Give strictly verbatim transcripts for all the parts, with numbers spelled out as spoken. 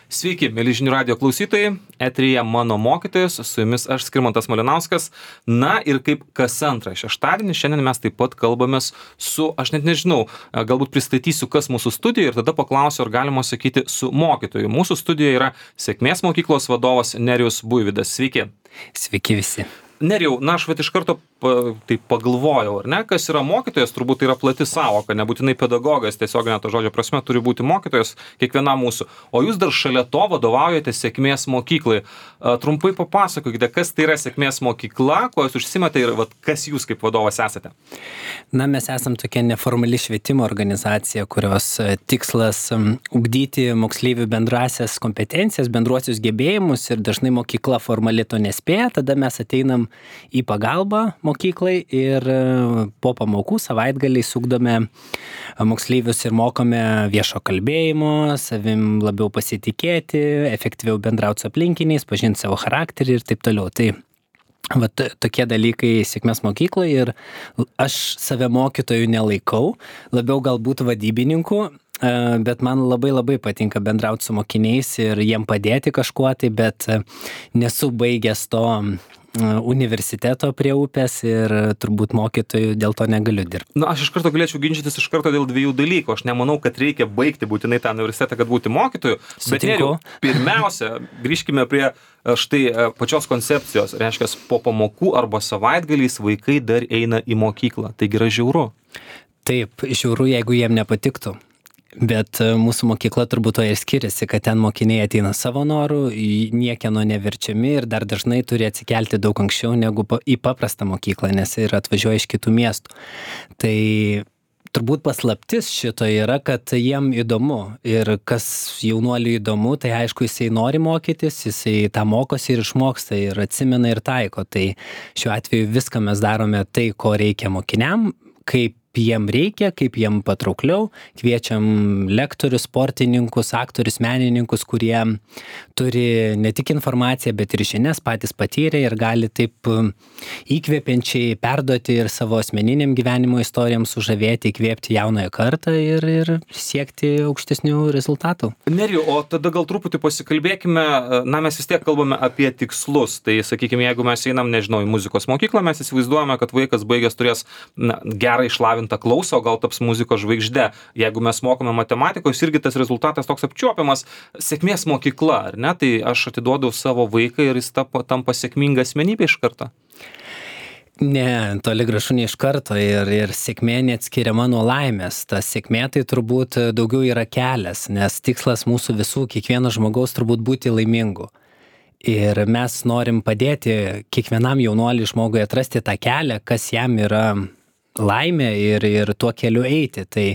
Sveiki, mėly žinių radijo klausytojai, eteryje mano mokytojas, su jumis aš Skirmantas Malinauskas. Na ir kaip kas antrą šeštadienį, šiandien mes taip pat kalbamės su, aš net nežinau, galbūt pristatysiu, kas mūsų studijoje ir tada paklausiu, ar galima sakyti su mokytoju. Mūsų studijoje yra Sėkmės mokyklos vadovas Nerijus Buivydas. Sveiki. Sveiki visi. Nerijau, na aš vat iš karto pa, tai pagalvojau, ar ne, kas yra mokytojas, turbūt tai yra plati sąvoka, nebūtinai pedagogas, tiesioginė to žodžio prasme turi būti mokytojas kiekvienam mūsų, o jūs dar šalia to vadovaujate Sėkmės mokyklai. A, trumpai papasakokite, kas tai yra Sėkmės mokykla, kuo jūs užsiimate ir vat, kas jūs kaip vadovas esate? Na, mes esam tokia neformali švietimo organizacija, kurios tikslas ugdyti moksleivių bendrasias kompetencijas, bendruosius gebėjimus ir dažnai mokykla formali to nespėja, tada mes ateinam į pagalbą mokyklai ir po pamokų savaitgaliais ugdome moksleivius ir mokome viešo kalbėjimo, savim labiau pasitikėti, efektyviau bendrauti su aplinkiniais, pažinti savo charakterį ir taip toliau. Tai vat tokie dalykai Sėkmės mokykloje ir aš save mokytojų nelaikau, labiau galbūt vadybininku, bet man labai labai patinka bendrauti su mokiniais ir jiem padėti kažkuo tai, bet nesu baigęs to universiteto prie upės ir turbūt mokytojų dėl to negaliu dirbti. Na, aš iš karto galėčiau ginčytis iš karto dėl dviejų dalykų. Aš nemanau, kad reikia baigti būtinai tą universitetą, kad būti mokytoju. Bet Nerijau, pirmiausia, grįžkime prie štai pačios koncepcijos. Reiškia, po pamokų arba savaitgaliais vaikai dar eina į mokyklą. Taigi yra žiauru. Taip, žiauru, jeigu jiem nepatiktų. Bet mūsų mokykla turbūt to ir skiriasi, kad ten mokiniai ateina savo norų, niekieno neverčiami ir dar dažnai turi atsikelti daug anksčiau negu į paprastą mokyklą, nes ir atvažiuoja iš kitų miestų. Tai turbūt paslaptis šito yra, kad jiem įdomu ir kas jaunuoliui įdomu, tai aišku, jisai nori mokytis, jisai tą mokosi ir išmoksta ir atsimena ir taiko. Tai šiuo atveju viską mes darome tai, ko reikia mokiniam, kaip jiem reikia, kaip jiem patraukliau, kviečiam lektorius, sportininkus, aktorius, menininkus, kurie turi ne tik informaciją, bet ir žinias, patys patyrė ir gali taip įkvepiančiai perduoti ir savo asmeniniam gyvenimo istorijam sužavėti, įkvėpti jaunąją kartą ir, ir siekti aukštesnių rezultatų. Nerijau, o tada gal truputį pasikalbėkime, na mes vis tiek kalbame apie tikslus, tai sakykime, jeigu mes einam, nežinau, į muzikos mokyklą, mes įsivaizduojame, kad vaikas baigęs turės na, gerą išlavintą klausą, o gal taps muzikos žvaigžde. Jeigu mes mokome matematikos, irgi tas rezultatas toks apčiuopiamas. Sėkmės mokykla, ar ne? Tai aš atiduodau savo vaiką ir jis tampa, tampa sėkminga asmenybė iš karto. Ne, toli gražu ne iš karto ir, ir sėkmė neatskiriama nuo laimės. Ta sėkmė tai turbūt daugiau yra kelias, nes tikslas mūsų visų, kiekvieno žmogaus turbūt būti laimingu. Ir mes norim padėti kiekvienam jaunuoliui žmogui atrasti tą kelią, kas jam yra laimė ir, ir tuo keliu eiti. Tai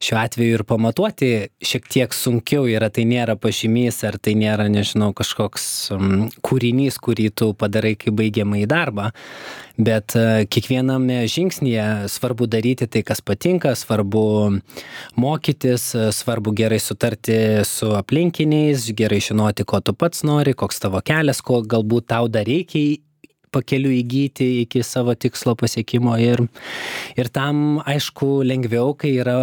šiuo atveju ir pamatuoti šiek tiek sunkiau yra, tai nėra pažymys, ar tai nėra, nežinau, kažkoks um, kūrinys, kurį tu padarai kaip baigiamą į darbą. Bet uh, kiekviename žingsnyje svarbu daryti tai, kas patinka, svarbu mokytis, svarbu gerai sutarti su aplinkiniais, gerai žinoti, ko tu pats nori, koks tavo kelias, ko galbūt tau dar reikia pakeliu įgyti iki savo tikslo pasiekimo ir, ir tam, aišku, lengviau, kai yra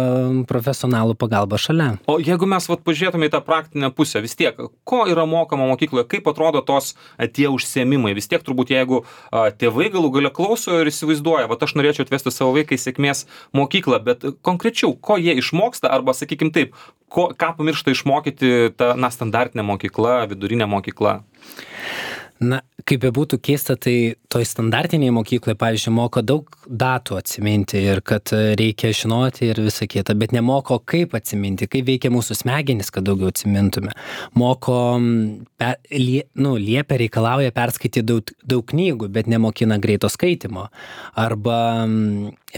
profesionalų pagalba šalia. O jeigu mes vat, pažiūrėtume į tą praktinę pusę, vis tiek, ko yra mokama mokykloje, kaip atrodo tos a, tie užsiėmimai, vis tiek turbūt jeigu a, tėvai galų gale klauso ir įsivaizduoja, vat aš norėčiau atvesti savo vaiką į Sėkmės mokyklą, bet konkrečiau, ko jie išmoksta, arba sakykim taip, ko, ką pamiršta išmokyti ta na, standartinė mokykla, vidurinė mokykla? Na, kaip bebūtų keista, tai toj standartinėje mokykloje, pavyzdžiui, moko daug datų atsiminti ir kad reikia žinoti ir visą kitą, bet nemoko kaip atsiminti, kaip veikia mūsų smegenys, kad daugiau atsimintume. Moko, per, lie, nu, liepia reikalauja perskaityti daug, daug knygų, bet nemokina greito skaitimo. Arba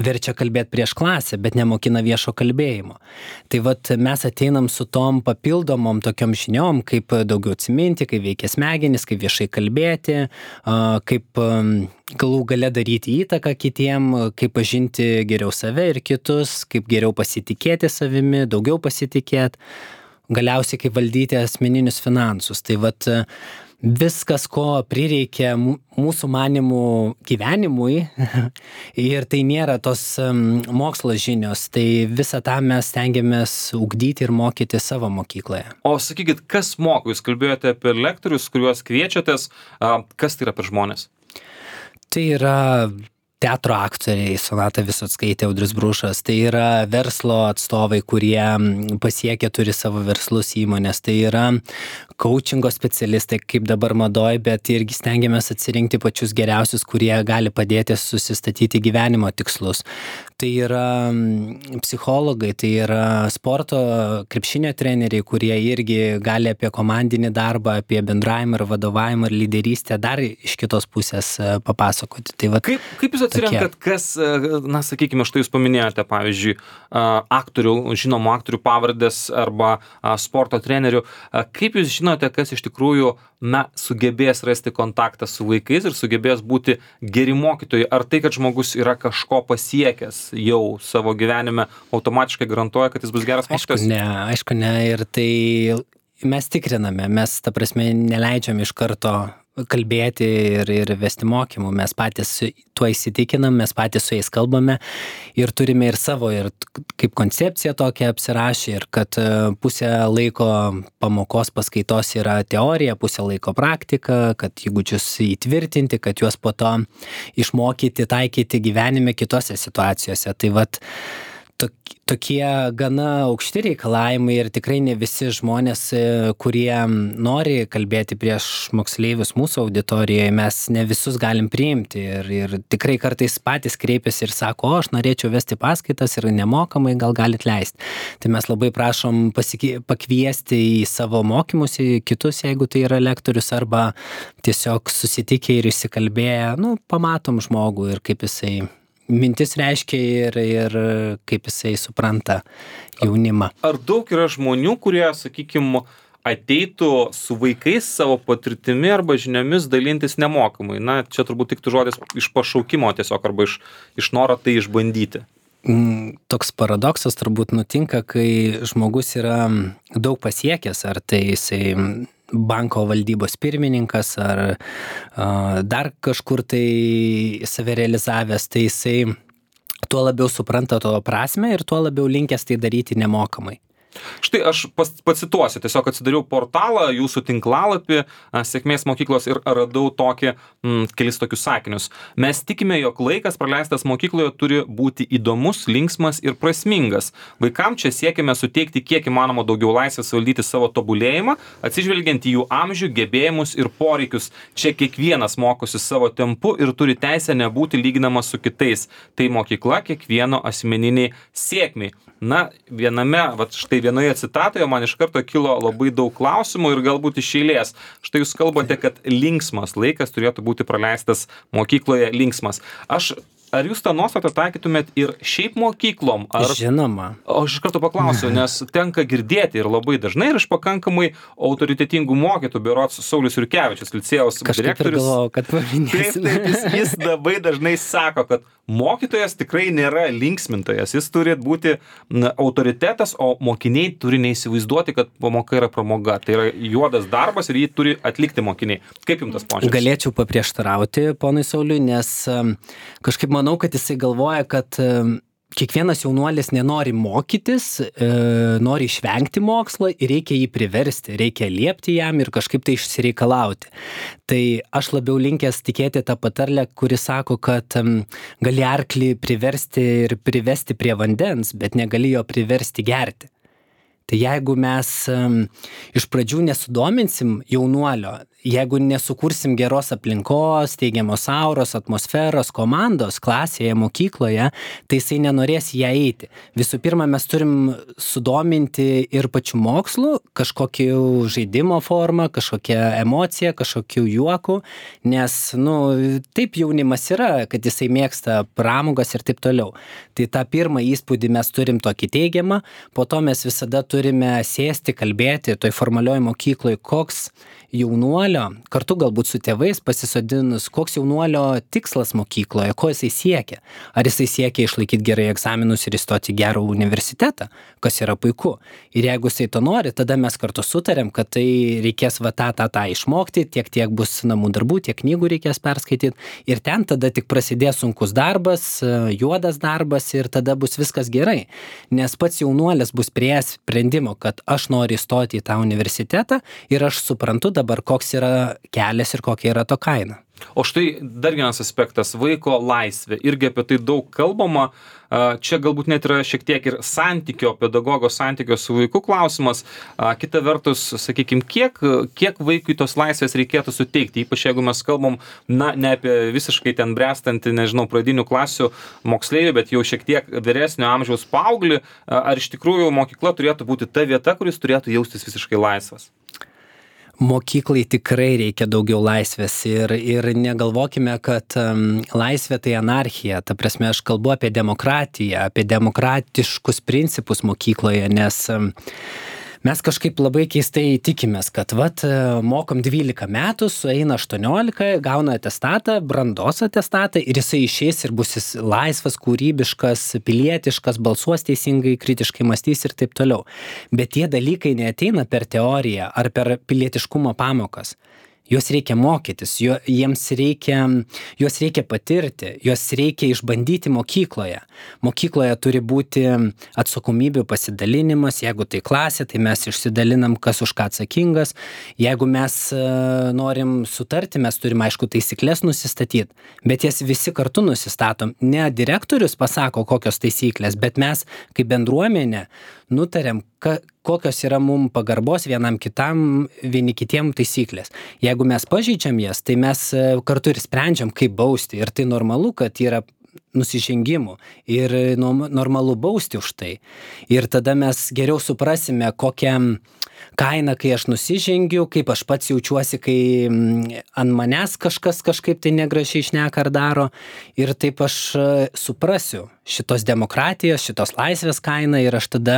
verčia kalbėti prieš klasę, bet nemokina viešo kalbėjimo. Tai vat mes ateinam su tom papildomom tokiom žiniom, kaip daugiau atsiminti, kaip veikia smegenys, kaip viešai kalbėti, kaip galų gale daryti įtaką kitiem, kaip pažinti geriau save ir kitus, kaip geriau pasitikėti savimi, daugiau pasitikėti, galiausiai kaip valdyti asmeninius finansus. Tai vat Viskas, ko prireikia mūsų manimų gyvenimui ir tai nėra tos mokslo žinios, tai visą tą mes stengiamės ugdyti ir mokyti savo mokykloje. O sakykit, kas moko? Jūs kalbėjote apie lektorius, kuriuos kviečiatės, kas tai yra per žmonės? Tai yra teatro aktoriai, Sonata Visockaitė, Audrius Bružas, tai yra verslo atstovai, kurie pasiekia, turi savo verslus įmonės, tai yra coachingo specialistai, kaip dabar madoj, bet irgi stengiamės atsirinkti pačius geriausius, kurie gali padėti susistatyti gyvenimo tikslus. Tai yra psichologai, tai yra sporto krepšinio treneriai, kurie irgi gali apie komandinį darbą, apie bendravimą ir vadovavimą ir lyderystę dar iš kitos pusės papasakoti. Tai vat, kaip, kaip jūs atsirenkat, kas, na, sakykime, štai jūs paminėjote, pavyzdžiui, aktorių, žinomų aktorių pavardės arba sporto trenerių. Kaip jūs žinote, kas iš tikrųjų, na, sugebės rasti kontaktą su vaikais ir sugebės būti geri mokytojai? Ar tai, kad žmogus yra kažko pasiekęs jau savo gyvenime, automatiškai garantuoja, kad jis bus geras mokytojas? Aišku, ne, aišku, ne. Ir tai mes tikriname, mes, ta prasme, neleidžiam iš karto kalbėti ir, ir vesti mokymų. Mes patys tuo įsitikinam, mes patys su jais kalbame ir turime ir savo, ir kaip koncepciją tokią apsirašę, ir kad pusę laiko pamokos paskaitos yra teorija, pusę laiko praktika, kad įgūdžius įtvirtinti, kad juos po to išmokyti, taikyti gyvenime kitose situacijose. Tai vat tokie gana aukšti reikalavimai ir tikrai ne visi žmonės, kurie nori kalbėti prieš moksleivius mūsų auditorijoje, mes ne visus galim priimti ir, ir tikrai kartais patys kreipiasi ir sako, o aš norėčiau vesti paskaitas ir nemokamai, gal galit leisti. Tai mes labai prašom pasiki, pakviesti į savo mokymus, į kitus, jeigu tai yra lektorius, arba tiesiog susitikę ir įsikalbėję, nu, pamatom žmogų ir kaip jisai mintis reiškia ir, ir kaip jisai supranta jaunimą. Ar daug yra žmonių, kurie, sakykime, ateitų su vaikais savo patirtimi arba žiniomis dalintis nemokamai? Na, čia turbūt tiktų žodis iš pašaukimo tiesiog, arba iš, iš noro tai išbandyti. Toks paradoksas turbūt nutinka, kai žmogus yra daug pasiekęs, ar tai jisai banko valdybos pirmininkas ar a, dar kažkur tai save realizavęs, tai jisai tuo labiau supranta to prasmę ir tuo labiau linkęs tai daryti nemokamai. Štai aš pas, pacituosiu, tiesiog atsidariau portalą, jūsų tinklalapį, Sėkmės mokyklos ir radau tokį, mm, kelis tokius sakinius. Mes tikime, jog laikas praleistas mokykloje turi būti įdomus, linksmas ir prasmingas. Vaikam čia siekiame suteikti kiek įmanoma daugiau laisvės valdyti savo tobulėjimą, atsižvelgiant į jų amžių, gebėjimus ir poreikius. Čia kiekvienas mokosi savo tempu ir turi teisę nebūti lyginamas su kitais. Tai mokykla kiekvieno asmeniniai sėkmiai. Na, viename, vat štai vienoje citatoje man iš karto kilo labai daug klausimų ir galbūt iš eilės. Štai jūs kalbate, kad linksmas laikas turėtų būti praleistas mokykloje linksmas. Aš, ar jūs tą nuostatą taikytumėt ir šiaip mokyklom? Ar... Žinoma. O aš iš karto paklausiu, nes tenka girdėti ir labai dažnai ir iš pakankamai autoritetingų mokytojų, berods Saulius Jurkevičius, licėjaus direktorius. Kažkaip ir galvojau, kad paminėsim. Taip, taip, jis, jis labai dažnai sako, kad mokytojas tikrai nėra linksmintojas, jis turi būti na, autoritetas, o mokiniai turi neįsivaizduoti, kad pamoka yra pramoga. Tai yra juodas darbas ir jį turi atlikti mokiniai. Kaip jums tas požiūris? Galėčiau paprieštarauti ponui Sauliui, nes kažkaip manau, kad jisai galvoja, kad kiekvienas jaunuolis nenori mokytis, e, nori išvengti mokslo ir reikia jį priversti, reikia liepti jam ir kažkaip tai išsireikalauti. Tai aš labiau linkęs tikėti tą patarlę, kuri sako, kad um, gali arklį priversti ir privesti prie vandens, bet negali jo priversti gerti. Tai jeigu mes um, iš pradžių nesudominsim jaunuolio, jeigu nesukursim geros aplinkos, teigiamos auros, atmosferos, komandos klasėje, mokykloje, tai jisai nenorės ją eiti. Visų pirma, mes turim sudominti ir pačių mokslų, kažkokių žaidimo formą, kažkokią emociją, kažkokių juokų, nes, nu, taip jaunimas yra, kad jisai mėgsta pramogas ir taip toliau. Tai tą pirmą įspūdį mes turim tokį teigiamą, po to mes visada turime sėsti, kalbėti toj formalioj mokykloj, koks jaunuolio jaunuolio, kartu galbūt su tėvais pasisodinus, koks jaunuolio tikslas mokykloje, ko jisai siekia. Ar jisai siekia išlaikyti gerai egzaminus ir įstoti į gerą universitetą, kas yra puiku. Ir jeigu jisai to nori, tada mes kartu sutarėm, kad tai reikės va tą, tą, tą išmokti, tiek tiek bus namų darbų, tiek knygų reikės perskaityti. Ir ten tada tik prasidės sunkus darbas, juodas darbas ir tada bus viskas gerai. Nes pats jaunuolis bus prie sprendimo, kad aš noriu įstoti į tą universitetą ir aš suprantu dabar, koks yra kelias ir kokia yra to kaina. O štai dar vienas aspektas – vaiko laisvė. Irgi apie tai daug kalbama. Čia galbūt net yra šiek tiek ir santykio, pedagogo santykio su vaiku klausimas. Kita vertus, sakykime, kiek, kiek vaikui tos laisvės reikėtų suteikti, ypač jeigu mes kalbam, na, ne apie visiškai ten bręstantį, nežinau, pradinių klasių moksleivių, bet jau šiek tiek vyresnio amžiaus paauglį, ar iš tikrųjų mokykla turėtų būti ta vieta, kuris turėtų jaustis visiškai laisvas? Mokyklai tikrai reikia daugiau laisvės ir, ir negalvokime, kad um, laisvė tai anarchija. Ta prasme, aš kalbu apie demokratiją, apie demokratiškus principus mokykloje, nes um, mes kažkaip labai keistai tikimės, kad vat, mokom dvylika metų, sueina aštuoniolika, gauna atestatą, brandos atestatą ir jisai išeis ir bus jis laisvas, kūrybiškas, pilietiškas, balsuos teisingai, kritiškai mąstys ir taip toliau. Bet tie dalykai neateina per teoriją ar per pilietiškumo pamokas. Juos reikia mokytis, jo, jiems reikia, juos reikia patirti, juos reikia išbandyti mokykloje. Mokykloje turi būti atsakomybių pasidalinimas, jeigu tai klasė, tai mes išsidalinam, kas už ką atsakingas. Jeigu mes uh, norim sutarti, mes turim, aišku, taisyklės nusistatyti, bet jas visi kartu nusistatom. Ne direktorius pasako, kokios taisyklės, bet mes kaip bendruomenė nutarėm, ka, kokios yra mum pagarbos vienam kitam, vieni kitiem taisyklės. Jeigu mes pažeidžiam jas, tai mes kartu ir sprendžiam, kaip bausti. Ir tai normalu, kad yra nusižengimų ir normalu bausti už tai. Ir tada mes geriau suprasime, kokią kainą, kai aš nusižengiu, kaip aš pats jaučiuosi, kai ant manęs kažkas kažkaip tai negražiai šneka ar daro. Ir taip aš suprasiu šitos demokratijos, šitos laisvės kainą ir aš tada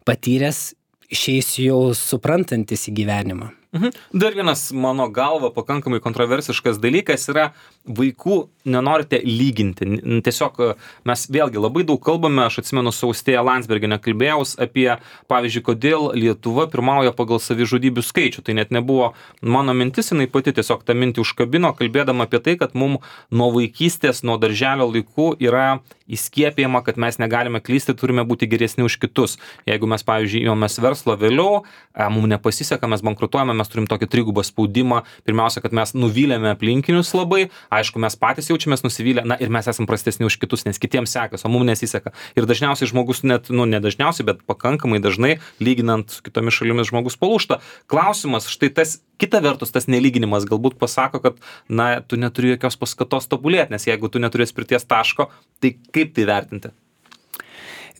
patyręs išeisiu jau suprantantis į gyvenimą. Mhm. Dar vienas mano galva pakankamai kontroversiškas dalykas yra vaikų nenorite lyginti. Tiesiog mes vėlgi labai daug kalbame, aš atsimenu su Austėja Landsbergiene kalbėjaus apie, pavyzdžiui, kodėl Lietuva pirmauja pagal savižudybių skaičių. Tai net nebuvo mano mintis, jinai pati tiesiog tą mintį užkabino, kalbėdama apie tai, kad mum nuo vaikystės, nuo darželio laikų yra įskiepėjama, kad mes negalime klysti, turime būti geresni už kitus. Jeigu mes, pavyzdžiui, įmamės verslo vėliau, mums nepasiseka, mes bankrutuojame, mes turim tokį trigubą spaudimą. Pirmiausia, kad mes nuvylėme aplinkinius labai, aišku, mes patys jaučiamės nusivylę, na ir mes esam prastesni už kitus, nes kitiems sekas, o mums nesiseka. Ir dažniausiai žmogus net, nu, ne dažniausiai, bet pakankamai dažnai, lyginant su kitomis šalimis, žmogus palūžta. Klausimas, štai tas, kita vertus, tas nelyginimas galbūt pasako, kad, na, tu neturi jokios paskatos tobulėti, nes jeigu tu neturi atspirties taško, tai kaip tai vertinti?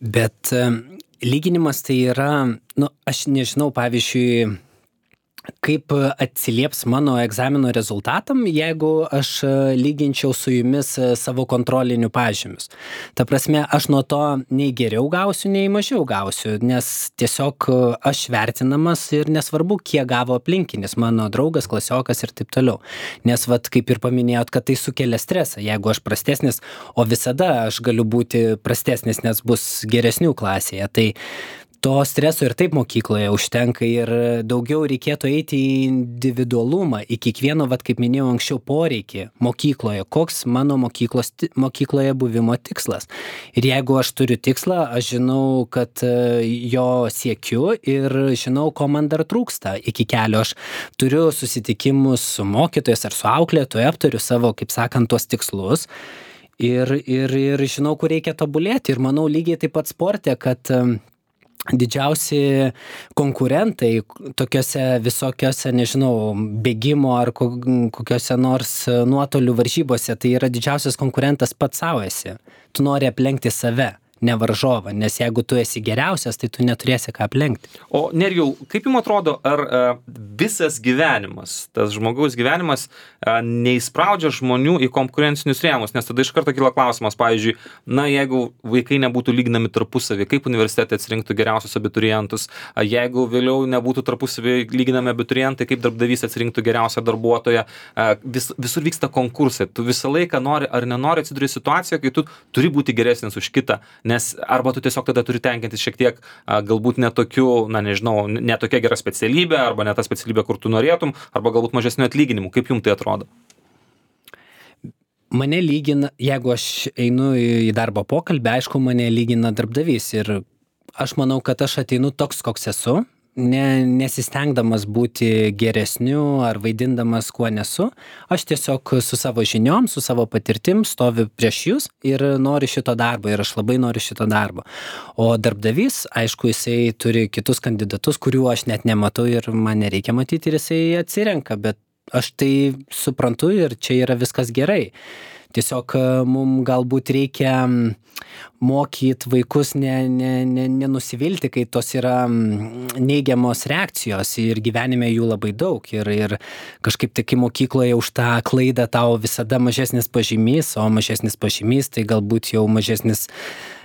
Bet lyginimas tai yra, nu, aš nežinau, pavyzdžiui, kaip atsilieps mano egzamino rezultatam, jeigu aš lyginčiau su jumis savo kontrolinių pažymius. Ta prasme, aš nuo to nei geriau gausiu, nei mažiau gausiu, nes tiesiog aš vertinamas ir nesvarbu, kiek gavo aplinkinis, mano draugas, klasiokas ir taip toliau. Nes, vat, kaip ir paminėjot, kad tai sukelia stresą. Jeigu aš prastesnis, o visada aš galiu būti prastesnis, nes bus geresnių klasėje, tai to streso ir taip mokykloje užtenka ir daugiau reikėtų eiti į individualumą, į kiekvieno, vat, kaip minėjau anksčiau, poreikį mokykloje, koks mano mokyklos, mokykloje buvimo tikslas. Ir jeigu aš turiu tikslą, aš žinau, kad jo siekiu ir žinau, ko man dar trūksta iki kelio. Aš turiu susitikimus su mokytojais ar su auklėtoju, aptariu savo, kaip sakant, tuos tikslus. Ir, ir, ir žinau, kur reikia tobulėti. Ir manau lygiai taip pat sporte, kad didžiausi konkurentai tokiose visokiose, nežinau, bėgimo ar kokiose nors nuotolių varžybose, tai yra didžiausias konkurentas pats savo esi. Tu nori aplenkti save, ne varžovą, nes jeigu tu esi geriausias, tai tu neturėsi ką aplenkti. O Nerijau, kaip jums atrodo, ar visas gyvenimas, tas žmogaus gyvenimas a, neįspraudžia žmonių į konkurencinius rėmus, nes tada iš karto kyla klausimas, pavyzdžiui, na, jeigu vaikai nebūtų lyginami tarpusavį, kaip universitetai atsirinktų geriausius abiturientus, a, jeigu vėliau nebūtų tarpusavį lyginami abiturientai, kaip darbdavys atsirinktų geriausią darbuotoją, a, vis, visur vyksta konkursai, tu visą laiką nori ar nenori atsiduri situaciją, kai tu turi būti geresnis už kitą, nes arba tu tiesiog tada turi tenkintis šiek tiek a, galbūt netokiu, na nežinau, netokia gera specialybė, arba ne ta specialybė, kur tu norėtum, arba galbūt mažesnių atlyginimų. Kaip jums tai atrodo? Mane lygina, jeigu aš einu į darbo pokalbį, aišku, mane lygina darbdavys ir aš manau, kad aš ateinu toks, koks esu, ne, nesistengdamas būti geresniu ar vaidindamas, kuo nesu. Aš tiesiog su savo žiniom, su savo patirtim stoviu prieš jūs ir noriu šito darbo ir aš labai noriu šito darbo. O darbdavys, aišku, jisai turi kitus kandidatus, kurių aš net nematau ir man nereikia matyti ir jisai atsirenka, bet aš tai suprantu ir čia yra viskas gerai. Tiesiog mums galbūt reikia mokyti vaikus ne, ne, ne, nenusivilti, kai tos yra neigiamos reakcijos ir gyvenime jų labai daug. Ir, ir kažkaip tik mokykloje už tą klaidą tau visada mažesnis pažymys, o mažesnis pažymys tai galbūt jau mažesnis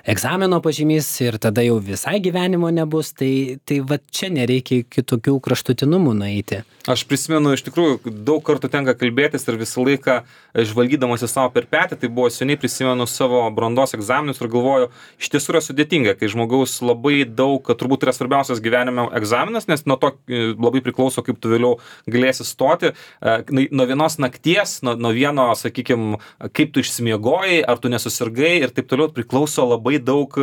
egzamino pažymys ir tada jau visai gyvenimo nebus. Tai, tai va čia nereikia kitokių kraštutinumų nueiti. Aš prisimenu, iš tikrųjų, daug kartų tenka kalbėtis ir visą laiką žvalgydamas į savo per petį, tai buvo seniai prisimenu savo brandos egzaminus ir galvoju, iš tiesų yra sudėtinga, kai žmogaus labai daug, kad turbūt yra svarbiausias gyvenime egzaminas, nes nuo to labai priklauso, kaip tu vėliau galėsi stoti. Nuo vienos nakties, nuo, nuo vieno, sakykime, kaip tu išsimiegojai, ar tu nesusirgai ir taip toliau priklauso labai daug,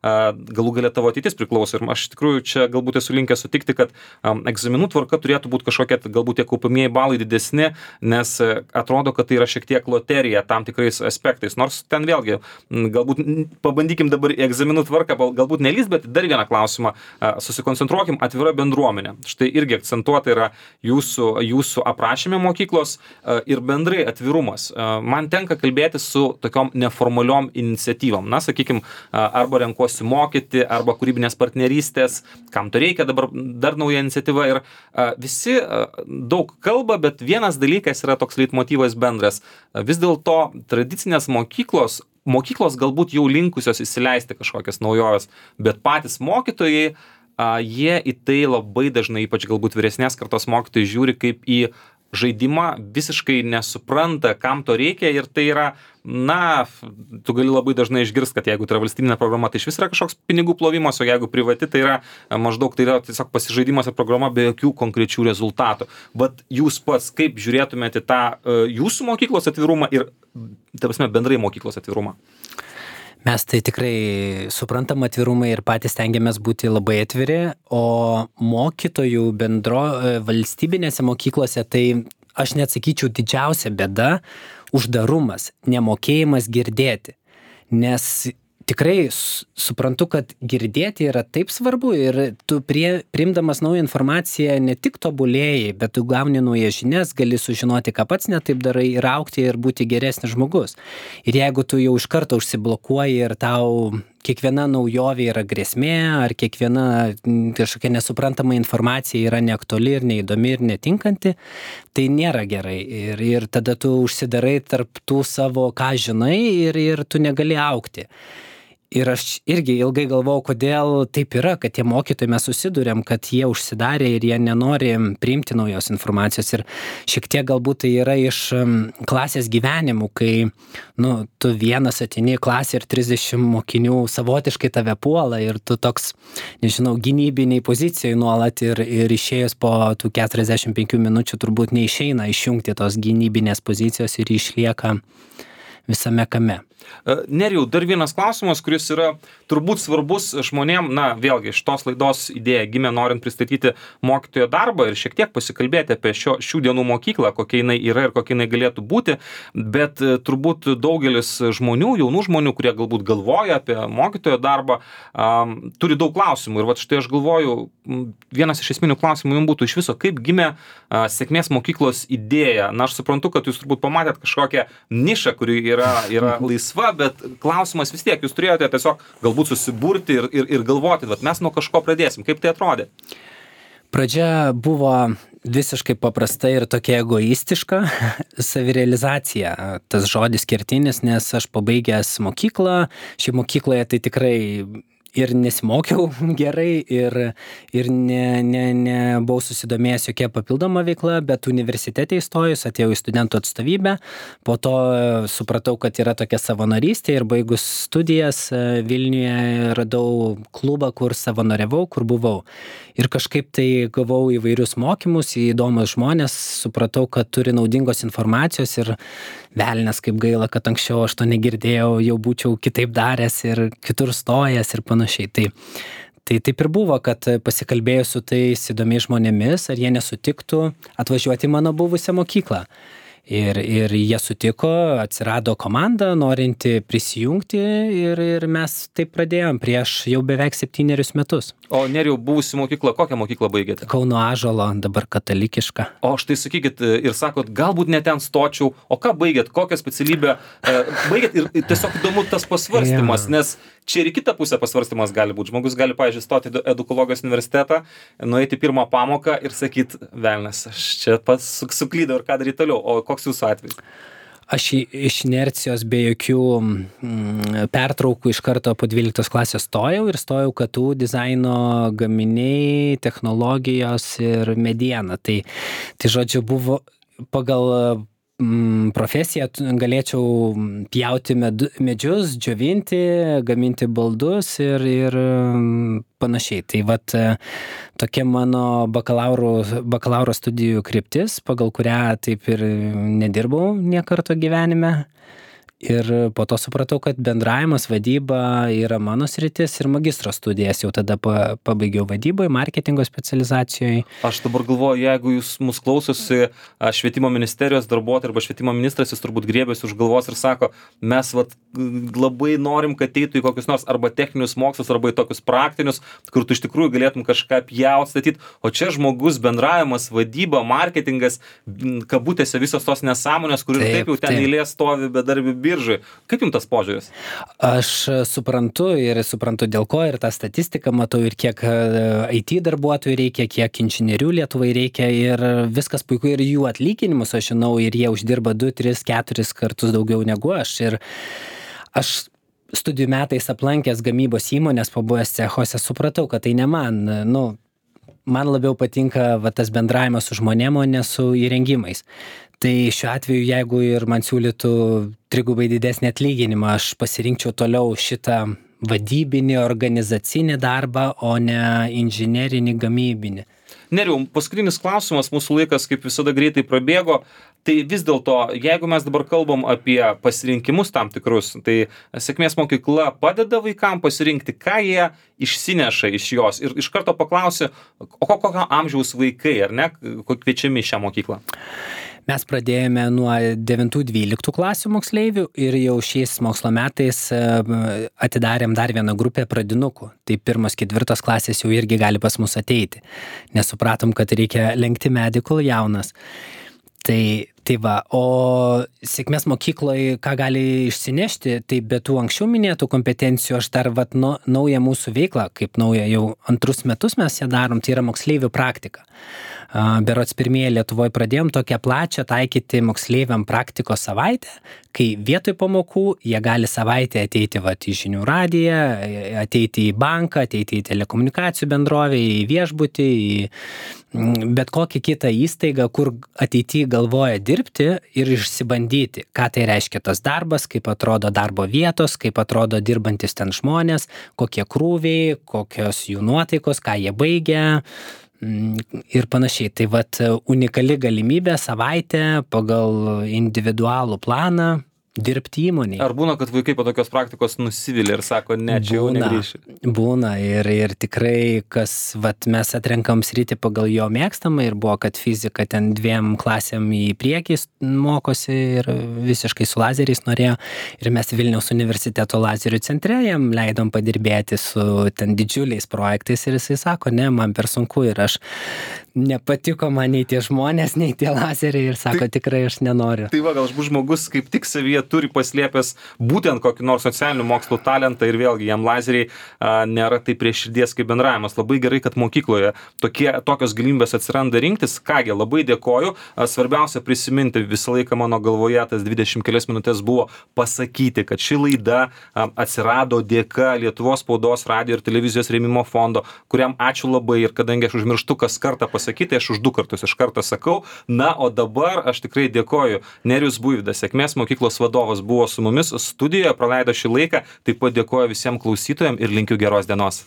galų galia tavo ateitis priklauso. Ir aš iš tikrųjų čia galbūt esu linkęs sutikti, kad egzaminų tvarka turėtų būti kažkokia, galbūt tie kaupamieji balai didesni, nes atrodo, kad tai yra šiek tiek loterija tam tikrais aspektais. Nors ten vėlgi, galbūt pabandykim dabar į egzaminų tvarką, galbūt nelys, bet dar vieną klausimą, susikoncentruokim, atvira bendruomenė. Štai irgi akcentuota yra jūsų, jūsų aprašyme mokyklos ir bendrai atvirumas. Man tenka kalbėti su tokiom neformaliom iniciatyvom. Na, sakykim, arba renkuosi mokyti, arba kūrybinės partnerystės, kam to reikia, dabar dar nauja iniciatyva ir visi daug kalba, bet vienas dalykas yra toks leitmotyvas bendras. Vis dėlto tradicinės mokyklos, mokyklos galbūt jau linkusios įsileisti kažkokias naujoves, bet patys mokytojai, jie į tai labai dažnai, ypač galbūt vyresnės kartos mokytojai, žiūri kaip į žaidimą, visiškai nesupranta, kam to reikia ir tai yra, na, tu gali labai dažnai išgirsti, kad jeigu tai yra valstybinė programa, tai iš vis yra kažkoks pinigų plovimas, o jeigu privati, tai yra maždaug tai yra tiesiog pasižaidimas ir programa be jokių konkrečių rezultatų. Bet jūs pats kaip žiūrėtumėte tą jūsų mokyklos atvirumą ir, ta prasme, bendrai mokyklos atvirumą? Mes tai tikrai suprantam atvirumą ir patys stengiamės būti labai atviri, o mokytojų bendro valstybinėse mokyklose tai aš net sakyčiau didžiausia bėda uždarumas, nemokėjimas girdėti, nes tikrai suprantu, kad girdėti yra taip svarbu ir tu prie, priimdamas naują informaciją ne tik tobulėjai, bet tu gauni naujas žinias, gali sužinoti, ką pats netaip darai ir augti ir būti geresnis žmogus. Ir jeigu tu jau iš karto užsiblokuoji ir tau kiekviena naujovė yra grėsmė, ar kiekviena kažkokia nesuprantama informacija yra neaktuali ir neįdomi ir netinkanti, tai nėra gerai. Ir, ir tada tu užsidarai tarp tų savo, ką žinai, ir, ir tu negali augti. Ir aš irgi ilgai galvojau, kodėl taip yra, kad tie mokytojai mes susiduriam, kad jie užsidarė ir jie nenori priimti naujos informacijos. Ir šiek tiek galbūt tai yra iš klasės gyvenimų, kai nu, tu vienas ateini į klasę ir trisdešimt mokinių savotiškai tave puola ir tu toks, nežinau, gynybiniai pozicijai nuolat ir, ir išėjus po tų keturiasdešimt penkių minučių turbūt neišeina išjungti tos gynybinės pozicijos ir išlieka visame kame. Nerijau, dar vienas klausimas, kuris yra turbūt svarbus žmonėm, na, vėlgi, iš tos laidos idėja gimė norint pristatyti mokytojo darbą ir šiek tiek pasikalbėti apie šio, šių dienų mokyklą, kokia jinai yra ir kokia jinai galėtų būti, bet turbūt daugelis žmonių, jaunų žmonių, kurie galbūt galvoja apie mokytojo darbą, um, turi daug klausimų. Ir vat štai aš galvoju, vienas iš esminių klausimų jums būtų iš viso, kaip gimė uh, sėkmės mokyklos idėja. Na, aš suprantu, kad jūs turbūt pamatėt kažkokią nišą, kuri yra, yra laisva, bet klausimas vis tiek, jūs turėjote tiesiog galbūt susiburti ir, ir, ir galvoti, vat mes nuo kažko pradėsim. Kaip tai atrodė? Pradžia buvo visiškai paprasta ir tokia egoistiška savirealizacija, tas žodis kertinis, nes aš pabaigęs mokyklą, ši mokykloje tai tikrai ir nesimokiau gerai, ir, ir ne, ne, ne buvau susidomėjęs jokia papildoma veikla, bet universitete įstojus, atėjau į studentų atstovybę, po to supratau, kad yra tokia savanorystė ir baigus studijas Vilniuje radau klubą, kur savanoriavau, kur buvau. Ir kažkaip tai gavau įvairius mokymus, įdomus žmonės, supratau, kad turi naudingos informacijos ir velnias, kaip gaila, kad anksčiau aš to negirdėjau, jau būčiau kitaip daręs ir kitur stojęs ir panašiai. Tai, tai taip ir buvo, kad pasikalbėjau su tais įdomiais žmonėmis, ar jie nesutiktų atvažiuoti į mano buvusią mokyklą. Ir, ir jie sutiko, atsirado komanda, norinti prisijungti ir, ir mes taip pradėjom prieš jau beveik septynerius metus. O Nerijau, buvusi mokykla, kokią mokyklą baigėte? Kauno Ąžuolo, dabar katalikiška. O štai sakykit ir sakot, galbūt ne ten stočiau, o ką baigėt, kokią specialybę baigėt ir tiesiog įdomu tas pasvarstymas, ja. Nes čia ir į kitą pusę pasvarstymas gali būti. Žmogus gali, pavyzdžiui, stoti į edukologijos universitetą, nueiti pirmą pamoką ir sakyt, velnias, aš čia pats suklydau ir ką daryti toliau, o koks jūsų atvejis? Aš iš inercijos be jokių mm, pertraukų iš karto po dvyliktos klasės stojau ir stojau K T U dizaino gaminiai, technologijos ir mediena. Tai, tai žodžiu, buvo pagal mm, profesiją galėčiau pjauti med, medžius, džiovinti, gaminti baldus ir, ir panašiai. Tai vat tokia mano bakalauro, bakalauro studijų kryptis, pagal kurią taip ir nedirbau nie karto gyvenime. Ir po to supratau, kad bendravimas, vadyba yra mano sritis ir magistro studijas jau tada pa, pabaigiau vadyboje, marketingo specializacijoje. Aš dabar galvoju, jeigu jūs mus klausosi švietimo ministerijos darbuotojai arba švietimo ministras, jis turbūt griebėsi už galvos ir sako, mes vat, labai norim, kad eitų į kokius nors arba techninius mokslus, arba į tokius praktinius, kur tu iš tikrųjų galėtum kažką pjaut, statyti, o čia žmogus bendravimas, vadyba, marketingas, kabutėse visos tos nesąmonės, kur ir taip, taip jau ten eilė stovi bedarbių biržai. Kaip jums tas požiūris? Aš suprantu ir suprantu dėl ko ir tą statistiką matau ir kiek I T darbuotojų reikia, kiek inžinierių Lietuvai reikia ir viskas puiku ir jų atlyginimus, aš žinau, ir jie uždirba du, tris, keturis kartus daugiau negu aš. Ir aš studijų metais aplankęs gamybos įmonės, pabuvęs cechuose, supratau, kad tai ne man, nu, man labiau patinka va, tas bendravimas su žmonėm, o ne su įrengimais. Tai šiuo atveju, jeigu ir man siūlytų trigubai didesnį atlyginimą, aš pasirinkčiau toliau šitą vadybinį, organizacinį darbą, o ne inžinerinį, gamybinį. Nerijau, paskutinis klausimas, mūsų laikas kaip visada greitai prabėgo, tai vis dėlto, jeigu mes dabar kalbam apie pasirinkimus tam tikrus, tai sėkmės mokykla padeda vaikam pasirinkti, ką jie išsineša iš jos ir iš karto paklausi, o kokio amžiaus vaikai, ar ne, kviečiami į šią mokyklą? Mes pradėjome nuo devintų dvyliktų klasių moksleivių ir jau šiais mokslo metais atidarėm dar vieną grupę pradinukų. Tai pirmas, ketvirtas klasės jau irgi gali pas mus ateiti, nes supratom, kad reikia lenkti medį, kol jaunas. Tai, tai va, o sėkmės mokykloje, ką gali išsinešti, tai be tų anksčiau minėtų kompetencijų, aš dar vat, no, naują mūsų veiklą, kaip naują jau antrus metus mes ją darom, tai yra moksleivių praktika. Berods pirmieji Lietuvoje pradėjom tokią plačią taikyti moksleiviam praktikos savaitę, kai vietoj pamokų jie gali savaitę ateiti vat, į žinių radiją, ateiti į banką, ateiti į telekomunikacijų bendrovę, į viešbutį, į bet kokią kitą įstaigą, kur ateityje galvoja dirbti ir išsibandyti, ką tai reiškia tas darbas, kaip atrodo darbo vietos, kaip atrodo dirbantis ten žmonės, kokie krūviai, kokios jų nuotaikos, ką jie baigia ir panašiai. Tai vat unikali galimybė savaitę pagal individualų planą dirbti įmonėje. Ar būna, kad vaikai po tokios praktikos nusivylė ir sako, ne, čia jau negrįšiu? Būna ir, ir tikrai, kas, vat, mes atrenkam sritį pagal jo mėgstamą ir buvo, kad fizika ten dviem klasėm į priekį mokosi ir visiškai su lazeriais norėjo. Ir mes Vilniaus universiteto lazerių centre jam leidom padirbėti su ten didžiuliais projektais ir jisai sako, ne, man per sunku ir aš nepatiko man nei tie žmonės, nei tie lazeriai ir sako, tai, tikrai aš nenoriu. Tai va, gal žmogus kaip tik savyje turi paslėpęs būtent kokį nors socialinių mokslų talentą ir vėlgi jam lazeriai a, nėra tai prie širdies kaip bendravimas. Labai gerai, kad mokykloje tokie, tokios galimybės atsiranda rinktis. Kągi, labai dėkoju. A, svarbiausia prisiminti, visą laiką mano galvoje tas dvidešimt kelias minutės buvo pasakyti, kad ši laida a, atsirado dėka Lietuvos spaudos, radijo ir televizijos rėmimo fondo, kuriam ačiū labai ir kadangi aš užmirštu kas kartą pasakyti, aš už du kartus iš karto sakau. Na, o dabar aš tikrai dėkoju. Nerijus Buivydas, Sėkmės mokyklos vadovas, buvo su mumis studijoje, praleido šį laiką. Taip pat dėkoju visiems klausytojams ir linkiu geros dienos.